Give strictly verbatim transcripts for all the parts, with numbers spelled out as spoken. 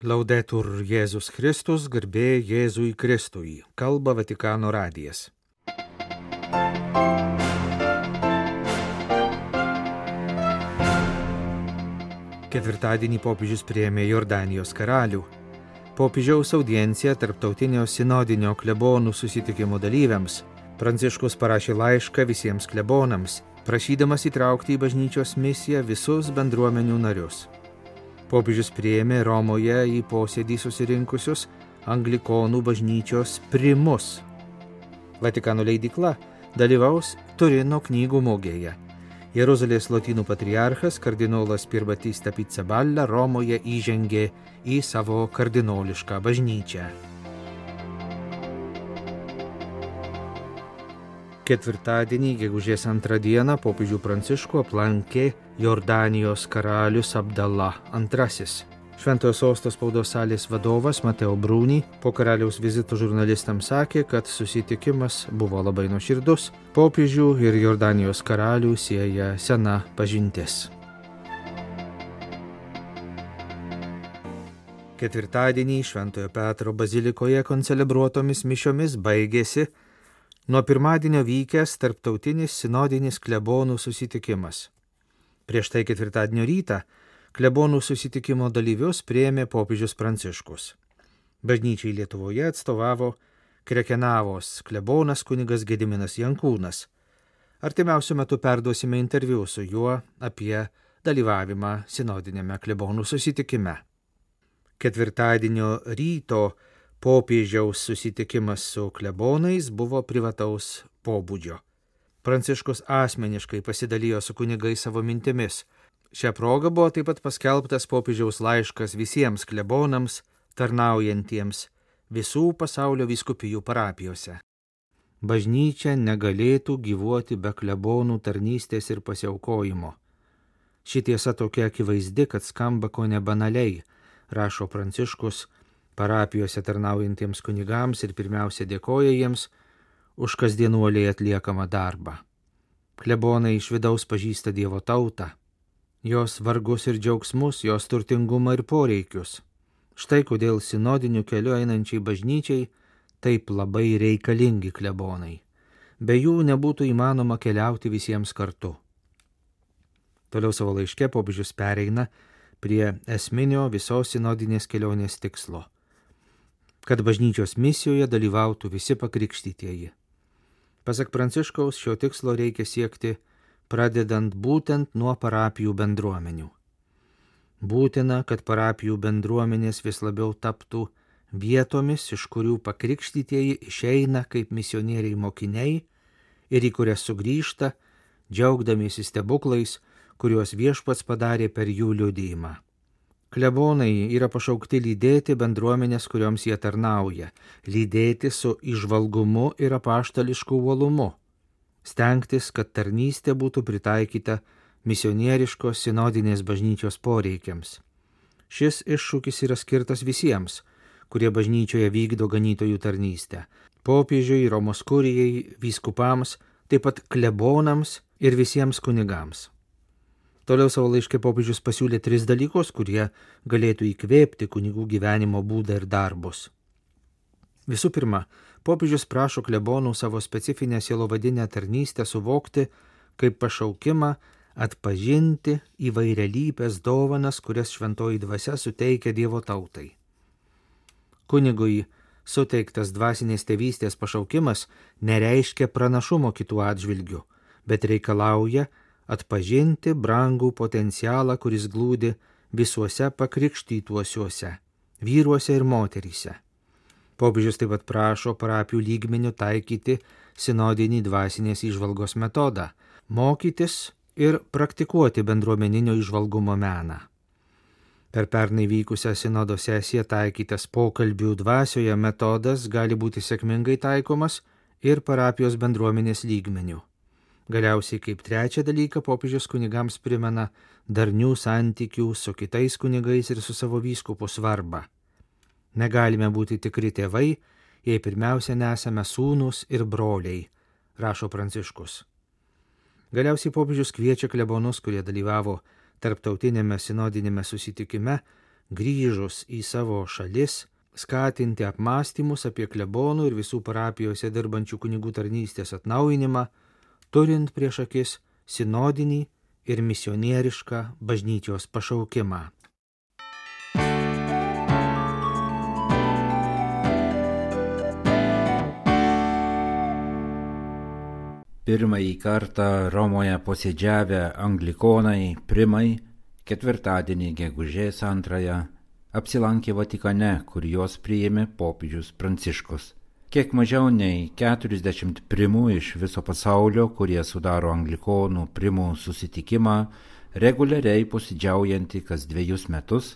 Laudetur Jėzus Kristus, garbė Jėzui Kristui, kalba Vatikano radijas. Ketvirtadienį popiežius priėmė Jordanijos karalių. Popiežiaus audiencija tarptautinio sinodinio klebonų susitikimo dalyviams. Pranciškus parašė laišką visiems klebonams, prašydamas įtraukti į bažnyčios misiją visus bendruomenių narius. Popiežius priėmė Romoje į posėdį susirinkusius anglikonų bažnyčios primus. Vatikano leidykla dalyvaus Turino knygų mugėje. Jeruzalės lotynų patriarchas kardinolas Pierbattista Pizzaballa Romoje įžengė į savo kardinolišką bažnyčią. Ketvirtadienį, gegužės antrą dieną, popiežių Pranciškų aplankė Jordanijos karalius Abdala antrasis. Šventojo sosto spaudos salės vadovas Mateo Bruni po karaliaus vizito žurnalistams sakė, kad susitikimas buvo labai nuoširdus. Popiežių ir Jordanijos karalių sieja sena pažintis. Ketvirtadienį Šventojo Petro bazilikoje koncelebruotomis mišiomis baigėsi nuo pirmadienio vykęs tarptautinis sinodinis klebonų susitikimas. Prieš tai ketvirtadienio rytą klebonų susitikimo dalyvius priėmė popiežius Pranciškus. Bažnyčiai Lietuvoje atstovavo Krekenavos klebonas kunigas Gediminas Jankūnas. Artimiausiu metu perduosime interviu su juo apie dalyvavimą sinodinėme klebonų susitikime. Ketvirtadienio ryto popiežiaus susitikimas su klebonais buvo privataus pobūdžio. Pranciškus asmeniškai pasidalijo su kunigais savo mintimis. Šią progą buvo taip pat paskelbtas popiežiaus laiškas visiems klebonams, tarnaujantiems visų pasaulio vyskupijų parapijose. Bažnyčia negalėtų gyvuoti be klebonų tarnystės ir pasiaukojimo. Ši tiesa tokia akivaizdi, kad skamba ko nebanaliai, rašo Pranciškus parapijose tarnaujantiems kunigams ir pirmiausia dėkoja jiems už kasdienuoliai atliekamą darbą. Klebonai iš vidaus pažįsta Dievo tautą, jos vargus ir džiaugsmus, jos turtingumą ir poreikius. Štai kodėl sinodiniu keliu einančiai bažnyčiai taip labai reikalingi klebonai. Be jų nebūtų įmanoma keliauti visiems kartu. Toliau savo laiške popiežius pereina prie esminio visos sinodinės kelionės tikslo, kad bažnyčios misijoje dalyvautų visi pakrikštytieji. Pasak Pranciškaus, šio tikslo reikia siekti pradedant būtent nuo parapijų bendruomenių. Būtina, kad parapijų bendruomenės vis labiau taptų vietomis, iš kurių pakrikštytieji išeina kaip misionieriai mokiniai ir į kurias sugrįžta, džiaugdamiesi stebuklais, kuriuos Viešpats padarė per jų liudijimą. Klebonai yra pašaukti lydėti bendruomenės, kurioms jie tarnauja, lydėti su įžvalgumu ir apaštališku uolumu, stengtis, kad tarnystė būtų pritaikyta misionieriškos sinodinės bažnyčios poreikiams. Šis iššūkis yra skirtas visiems, kurie bažnyčioje vykdo ganytojų tarnystę – popiežiui, Romos kurijai, vyskupams, taip pat klebonams ir visiems kunigams. Toliau savo laiške popiežius pasiūlė tris dalykus, kurie galėtų įkvėpti kunigų gyvenimo būdą ir darbus. Visų pirma, popiežius prašo klebonų savo specifinę sielovadinę tarnystę suvokti kaip pašaukimą atpažinti įvairialypes dovanas, kurias šventoji dvasia suteikia Dievo tautai. Kunigui suteiktas dvasinės tėvystės pašaukimas nereiškia pranašumo kitų atžvilgių, bet reikalauja atpažinti brangų potencialą, kuris glūdi visuose pakrikštytuosiuose, vyruose ir moteryse. Popiežius taip pat prašo parapijų lygmeniu taikyti sinodinį dvasinės įžvalgos metodą, mokytis ir praktikuoti bendruomeninio įžvalgumo meną. Per pernai vykusią sinodo sesiją taikytas pokalbių dvasioje metodas gali būti sėkmingai taikomas ir parapijos bendruomenės lygmeniu. Galiausiai kaip trečią dalyką popiežius kunigams primena darnių santykių su kitais kunigais ir su savo vyskupu svarbą. Negalime būti tikri tėvai, jei pirmiausia nesame sūnūs ir broliai, rašo Pranciškus. Galiausiai popiežius kviečia klebonus, kurie dalyvavo tarptautinėme sinodinėme susitikime, grįžus į savo šalis, skatinti apmąstymus apie klebonų ir visų parapijose dirbančių kunigų tarnystės atnaujinimą, turint prieš akis sinodinį ir misionierišką bažnyčios pašaukimą. Pirmąjį kartą Romoje posėdžiavę anglikonai primai ketvirtadienį gegužės antrąją apsilankė Vatikane, kur juos priėmė popiežius Pranciškus. Kiek mažiau nei keturiasdešimt primų iš viso pasaulio, kurie sudaro anglikonų primų susitikimą, reguliariai posėdžiaujantį kas dviejus metus,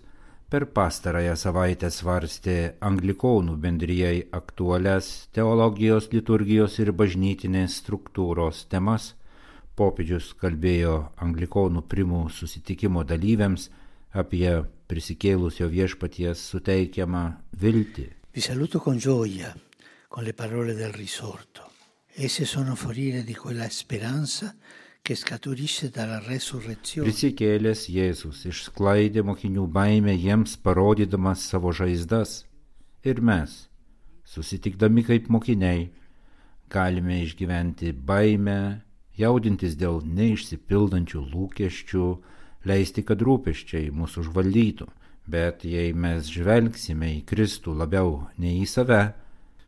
per pastarąją savaitę svarstė anglikonų bendrijai aktualias teologijos, liturgijos ir bažnytinės struktūros temas. Popiežius kalbėjo anglikonų primų susitikimo dalyviams apie prisikėlusio viešpaties suteikiamą viltį. Vi saluto con gioia, con le parole del risorto. Esse sono foriere di quella speranza che scaturisce dalla resurrezione. Prisikėlęs Jėzus išsklaidė mokinių baimę jiems parodydamas savo žaizdas. Ir mes, susitikdami kaip mokiniai, galime išgyventi baimę, jaudintis dėl neišsipildančių lūkesčių, leisti, kad rūpesčiai mūsų užvaldytų. Bet jei mes žvelgsime į Kristų labiau nei į save,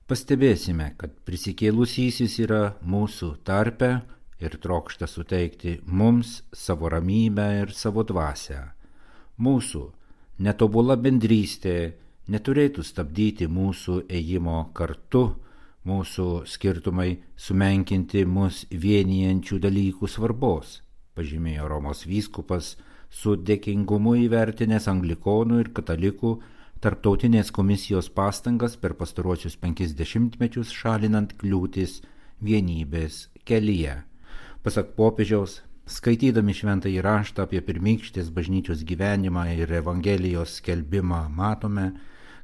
pastebėsime, kad prisikėlusysis yra mūsų tarpe ir trokšta suteikti mums savo ramybę ir savo dvasią. Mūsų netobula bendrystė neturėtų stabdyti mūsų ėjimo kartu, mūsų skirtumai sumenkinti mus vienijančių dalykų svarbos, pažymėjo Romos vyskupas, su dėkingumu įvertinęs anglikonų ir katalikų tarptautinės komisijos pastangas per pastaruosius penkis dešimtmečius šalinant kliūtis vienybės kelyje. Pasak popiežiaus, skaitydami šventąjį raštą apie pirmykštės bažnyčios gyvenimą ir Evangelijos skelbimą, matome,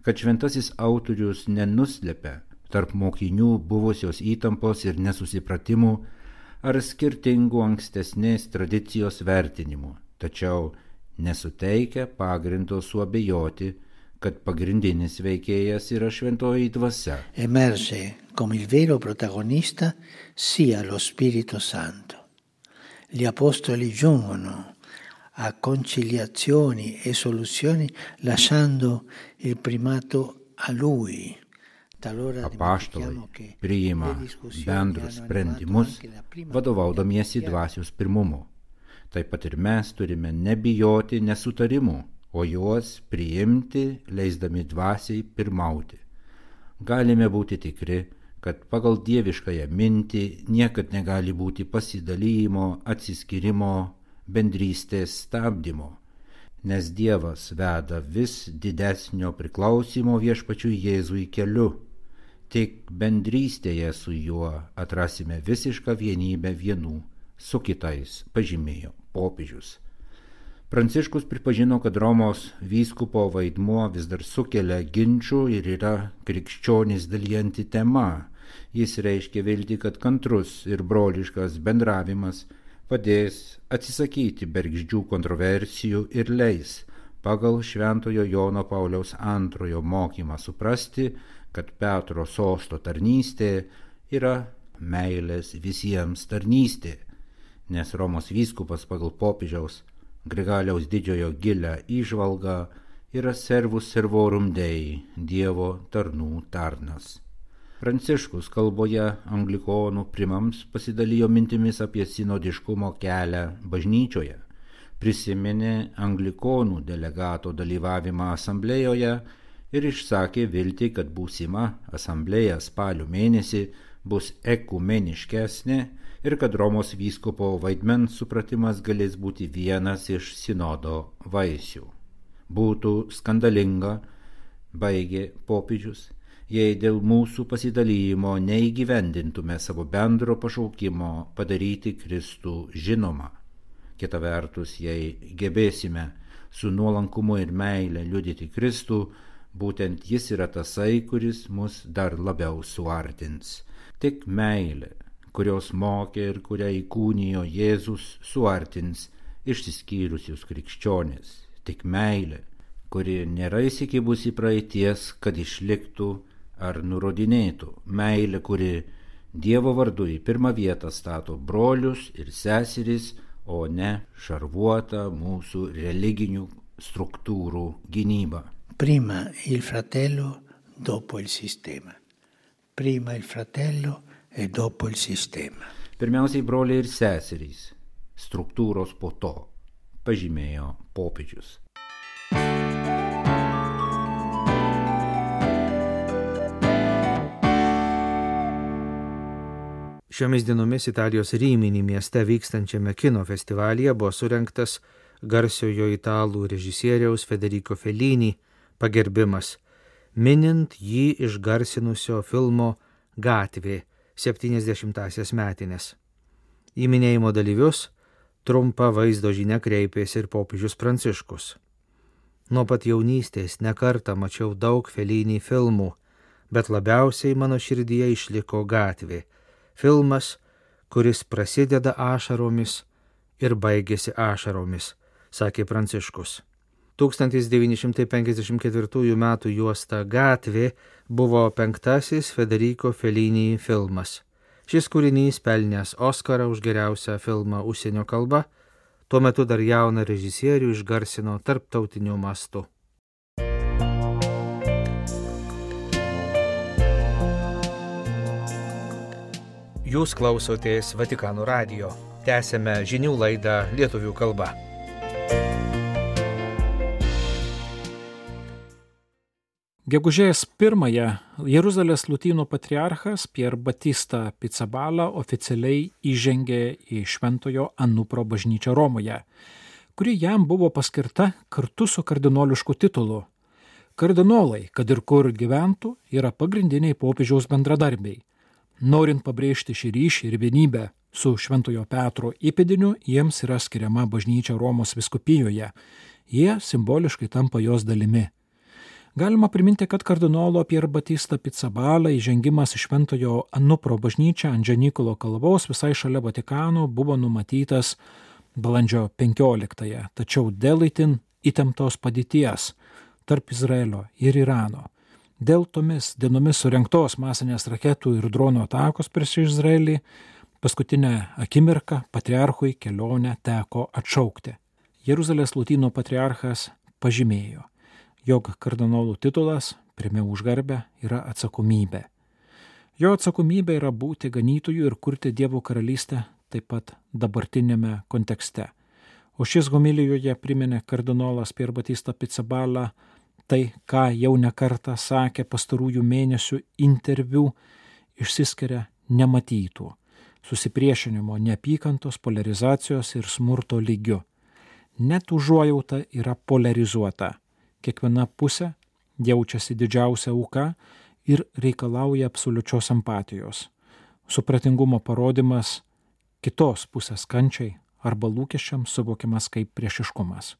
kad šventasis autorius nenuslepia tarp mokinių buvusios įtampos ir nesusipratimų ar skirtingų ankstesnės tradicijos vertinimų, tačiau nesuteikia pagrindo suabejoti, kad pagrindinis veikėjas yra šventoji dvasia. Emerge come il vero protagonista sia lo Spirito Santo. Gli apostoli giungono a conciliazioni e soluzioni lasciando il primato a lui. Apaštalai priima bendrus sprendimus, vadovaudamiesi dvasios pirmumu. Taip pat ir mes turime nebijoti nesutarimų, o juos priimti, leisdami dvasiai pirmauti. Galime būti tikri, kad pagal dieviškąją mintį niekad negali būti pasidalymo, atsiskyrimo, bendrystės stabdymo, nes Dievas veda vis didesnio priklausimo viešpačiui Jėzui keliu. Tik bendrystėje su juo atrasime visišką vienybę vienų su kitais, pažymėjo popiežius. Pranciškus pripažino, kad Romos vyskupo vaidmuo vis dar sukelia ginčų ir yra krikščionys dalijanti tema. Jis reiškia viltį, kad kantrus ir broliškas bendravimas padės atsisakyti bergždžių kontroversijų ir leis pagal Šventojo Jono Pauliaus antrojo mokymą suprasti, kad Petro sosto tarnystė yra meilės visiems tarnystė, nes Romos vyskupas pagal popiežiaus Grigaliaus didžiojo gilią įžvalgą yra servus servorum Dei, Dievo tarnų tarnas. Pranciškus kalboje anglikonų primams pasidalijo mintimis apie sinodiškumo kelią bažnyčioje, prisiminė anglikonų delegato dalyvavimą asamblėjoje ir išsakė viltį, kad būsima asamblėja spalio mėnesį bus ekumeniškesnė ir kad Romos vyskupo vaidmens supratimas galės būti vienas iš sinodo vaisių. Būtų skandalinga, baigė popiežius, jei dėl mūsų pasidalymo neįgyvendintume savo bendro pašaukimo padaryti Kristų žinomą. Kita vertus, jei gebėsime su nuolankumu ir meile liudyti Kristų, būtent jis yra tasai, kuris mus dar labiau suartins. Tik meilė, kurios mokė ir kurią įkūnijo Jėzus, suartins išsiskyrusius krikščionis. Tik meilė, kuri nėra įsikibusi praeities, kad išliktų ar nurodinėtų. Meilė, kuri Dievo vardu į pirmą vietą stato brolius ir seseris, o ne šarvuotą mūsų religinių struktūrų gynybą. Prima il fratello, dopo il sistema. Prima il fratello e dopo il sistema. Pirmiausiai broliai ir seserys, struktūros po to, pažymėjo popiežius. Šiomis dienomis Italijos Rimini mieste vykstančiame kino festivalyje buvo surengtas garsiojo italų režisieriaus Federico Fellini pagerbimas, minint jį išgarsinusio filmo Gatvė septyniasdešimtąsias metines. Į minėjimo dalyvius trumpa vaizdo žinia kreipėsi ir popiežius Pranciškus. Nuo pat jaunystės nekartą mačiau daug Fellini filmų, bet labiausiai mano širdyje išliko Gatvė. Filmas, kuris prasideda ašaromis ir baigėsi ašaromis, sakė Pranciškus. tūkstantis devyni šimtai penkiasdešimt ketvirtųjų metų juosta Gatvė buvo penktasis Federico Fellini filmas. Šis kūrinys pelnęs Oskarą už geriausią filmą užsienio kalba, tuo metu dar jauną režisierių išgarsino tarptautiniu mastu. Jūs klausotės Vatikano radijo. Tęsėme žinių laidą lietuvių kalba. Gegužės pirmąją Jeruzalės lotynų patriarchas Pier Batista Pizzaballa oficialiai įžengė į Šventojo Anupro bažnyčią Romoje, kuri jam buvo paskirta kartu su kardinolišku titulu. Kardinolai, kad ir kur gyventų, yra pagrindiniai popiežiaus bendradarbiai. Norint pabrėžti šį ryšį ir vienybę su Šventojo Petro įpėdiniu, jiems yra skiriama bažnyčia Romos vyskupijoje. Jie simboliškai tampa jos dalimi. Galima priminti, kad kardinolo Pier Batista Pizzaballa įžengimas į Šventojo Anupro bažnyčią ant Džanikolo kalvos visai šalia Vatikano buvo numatytas balandžio penkioliktąją, tačiau dėl itin įtemptos padėties tarp Izraelio ir Irano, dėl tomis dienomis surengtos masinės raketų ir dronų atakos prieš Izraelį, paskutinę akimirką patriarchui kelionę teko atšaukti. Jeruzalės lotynų patriarchas pažymėjo, jog kardinolų titulas, pirmiau už garbę, yra atsakomybė. Jo atsakomybė yra būti ganytoju ir kurti Dievo karalystę taip pat dabartinėme kontekste. O šis homilijoje priminė kardinolas Pier Batista Pizzaballa tai, ką jau nekartą sakė pastarųjų mėnesių interviu, išsiskiria nematytų susipriešinimo, neapykantos, polarizacijos ir smurto lygiu. Net užuojauta yra polarizuota. Kiekviena pusė jaučiasi didžiausia auka ir reikalauja absoliučios empatijos. Supratingumo parodimas kitos pusės kančiai arba lūkesčiams suvokiamas kaip priešiškumas.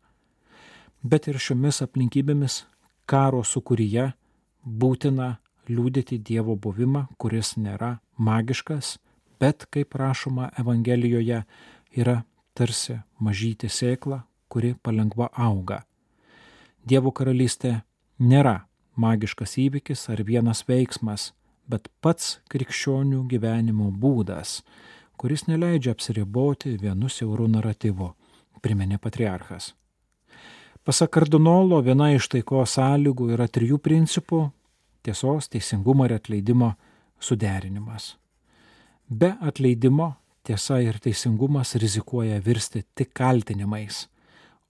Bet ir šiomis aplinkybėmis karo sūkuryje būtina liudyti Dievo buvimą, kuris nėra magiškas, bet, kaip rašoma Evangelijoje, yra tarsi mažytė sėkla, kuri palengva auga. Dievo karalystė nėra magiškas įvykis ar vienas veiksmas, bet pats krikščionių gyvenimo būdas, kuris neleidžia apsiriboti vienu siauru naratyvu, priminė patriarchas. Pasak kardinolo, viena iš taikos sąlygų yra trijų principų – tiesos, teisingumo ir atleidimo suderinimas. Be atleidimo tiesa ir teisingumas rizikuoja virsti tik kaltinimais,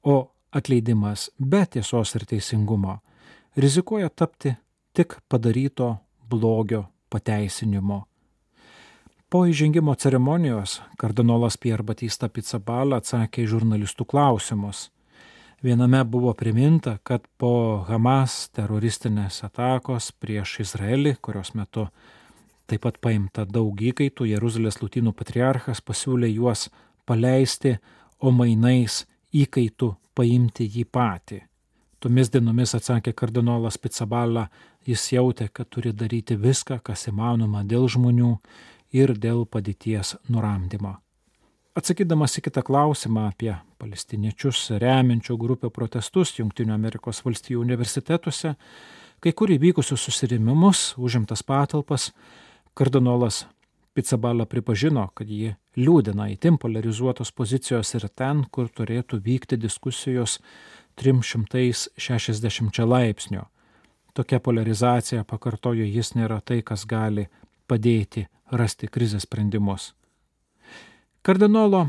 o atleidimas be tiesos ir teisingumo rizikuoja tapti tik padaryto blogio pateisinimu. Po įžengimo ceremonijos kardinolas Pier Batista Pizzaballa atsakė į žurnalistų klausimus. Viename buvo priminta, kad po Hamas teroristinės atakos prieš Izraelį, kurios metu taip pat paimta daug įkaitų, Jeruzalės lotynų patriarchas pasiūlė juos paleisti, o mainais įkaitų paimti jį patį. Tomis dienomis, atsakė kardinolas Pizzaballa, jis jautė, kad turi daryti viską, kas įmanoma dėl žmonių ir dėl padėties nuramdymo. Atsakydamas į kitą klausimą apie palestiniečius remiančių grupę protestus Jungtinių Amerikos valstijų universitetuose, kai kur įvykusius susirėmimus, užimtas patalpas, kardinolas Pizzaballa pripažino, kad jį liūdina itin polarizuotos pozicijos ir ten, kur turėtų vykti diskusijos trimis šimtais šešiasdešimčia laipsnių. Tokia polarizacija, pakartojo jis, nėra tai, kas gali padėti rasti krizės sprendimus. Kardinolo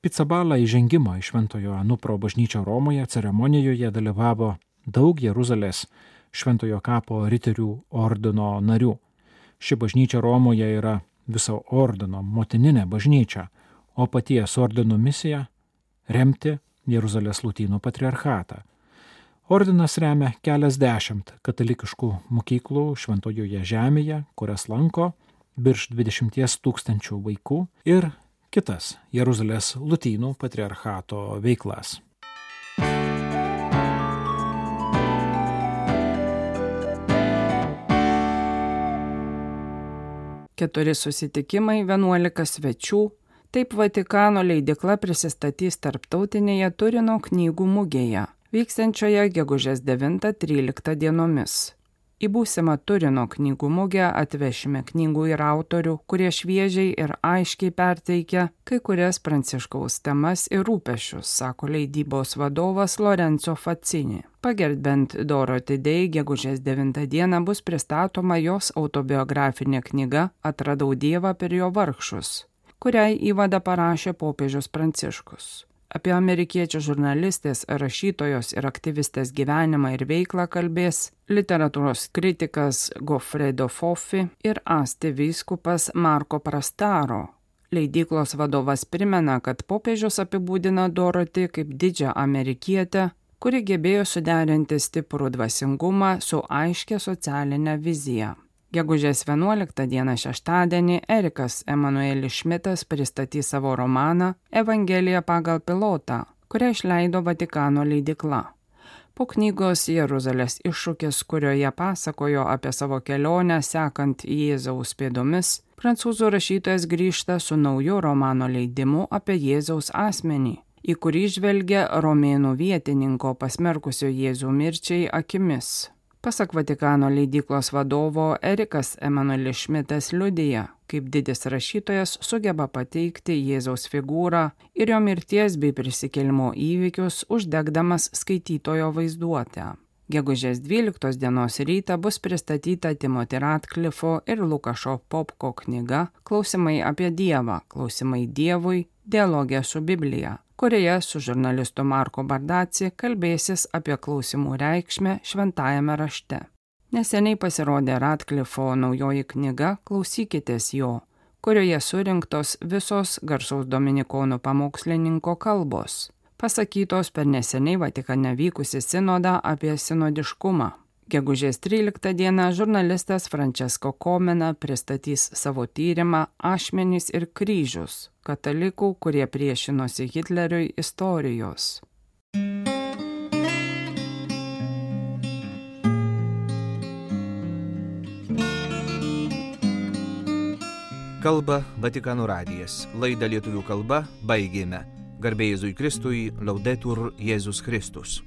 Pizzaballa įžengimo į Šventojo Anupro bažnyčią Romoje ceremonijoje dalyvavo daug Jeruzalės Šventojo kapo riterių ordino narių. Ši bažnyčia Romoje yra viso ordino motininė bažnyčia, o paties ordino misija – remti Jeruzalės lotynų patriarchatą. Ordinas remia keliasdešimt katalikiškų mokyklų Šventojoje žemėje, kurias lanko virš dvidešimties tūkstančių vaikų, ir kitas Jeruzalės lotynų patriarchato veiklas. Keturi susitikimai, vienuolika svečių. Taip Vatikano leidykla prisistatys tarptautinėje Turino knygų mugėje, vyksiančioje gegužės devintą tryliktą dienomis. Į būsimą Turino knygų mugę atvešime knygų ir autorių, kurie šviežiai ir aiškiai perteikia kai kurias Pranciškaus temas ir rūpesčius, sako leidybos vadovas Lorenzo Faccini. Pagerbent Dorothy Day gegužės devintą dieną bus pristatoma jos autobiografinė knyga Atradau Dievą per jo vargšus, kuriai įvadą parašė popiežius Pranciškus. Apie amerikiečių žurnalistės, rašytojos ir aktyvistės gyvenimą ir veiklą kalbės literatūros kritikas Goffredo Foffi ir Asti vyskupas Marco Prastaro. Leidyklos vadovas primena, kad popiežius apibūdina Dorothy kaip didžią amerikietę, kuri gebėjo suderinti stiprų dvasingumą su aiškia socialinė vizija. Gegužės vienuoliktą dieną šeštadienį Erikas Emanuelis Šmitas pristatys savo romaną Evangelija pagal pilotą, kurią išleido Vatikano leidykla. Po knygos Jeruzalės iššūkis, kurioje pasakojo apie savo kelionę sekant Jėzaus pėdomis, prancūzų rašytojas grįžta su nauju romano leidimu apie Jėzaus asmenį, į kurį žvelgia romėnų vietininko pasmerkusio Jėzų mirčiai akimis. Pasak Vatikano leidyklos vadovo, Erikas Emanuelis Šmitas liudija, kaip didis rašytojas sugeba pateikti Jėzaus figūrą ir jo mirties bei prisikėlimo įvykius, uždegdamas skaitytojo vaizduotę. Gegužės dvyliktos dienos rytą bus pristatyta Timothy Radcliffo ir Lukašo Popko knyga Klausimai apie Dievą, klausimai Dievui, dialogė su Biblija, kurioje su žurnalistu Marko Bardaci kalbėsis apie klausimų reikšmę šventajame rašte. Neseniai pasirodė Radcliffo naujoji knyga Klausykitės jo, kurioje surinktos visos garsaus dominikonų pamokslininko kalbos, pasakytos per neseniai Vatikane vykusį sinodą apie sinodiškumą. Gegužės tryliktą dieną žurnalistas Francesco Comena pristatys savo tyrimą Ašmenys ir kryžius – katalikų, kurie priešinosi Hitleriui istorijos. Kalba Vatikano radijas. Laidą lietuvių kalba baigėme. Garbė Jėzui Kristui, Laudetur Jėzus Kristus.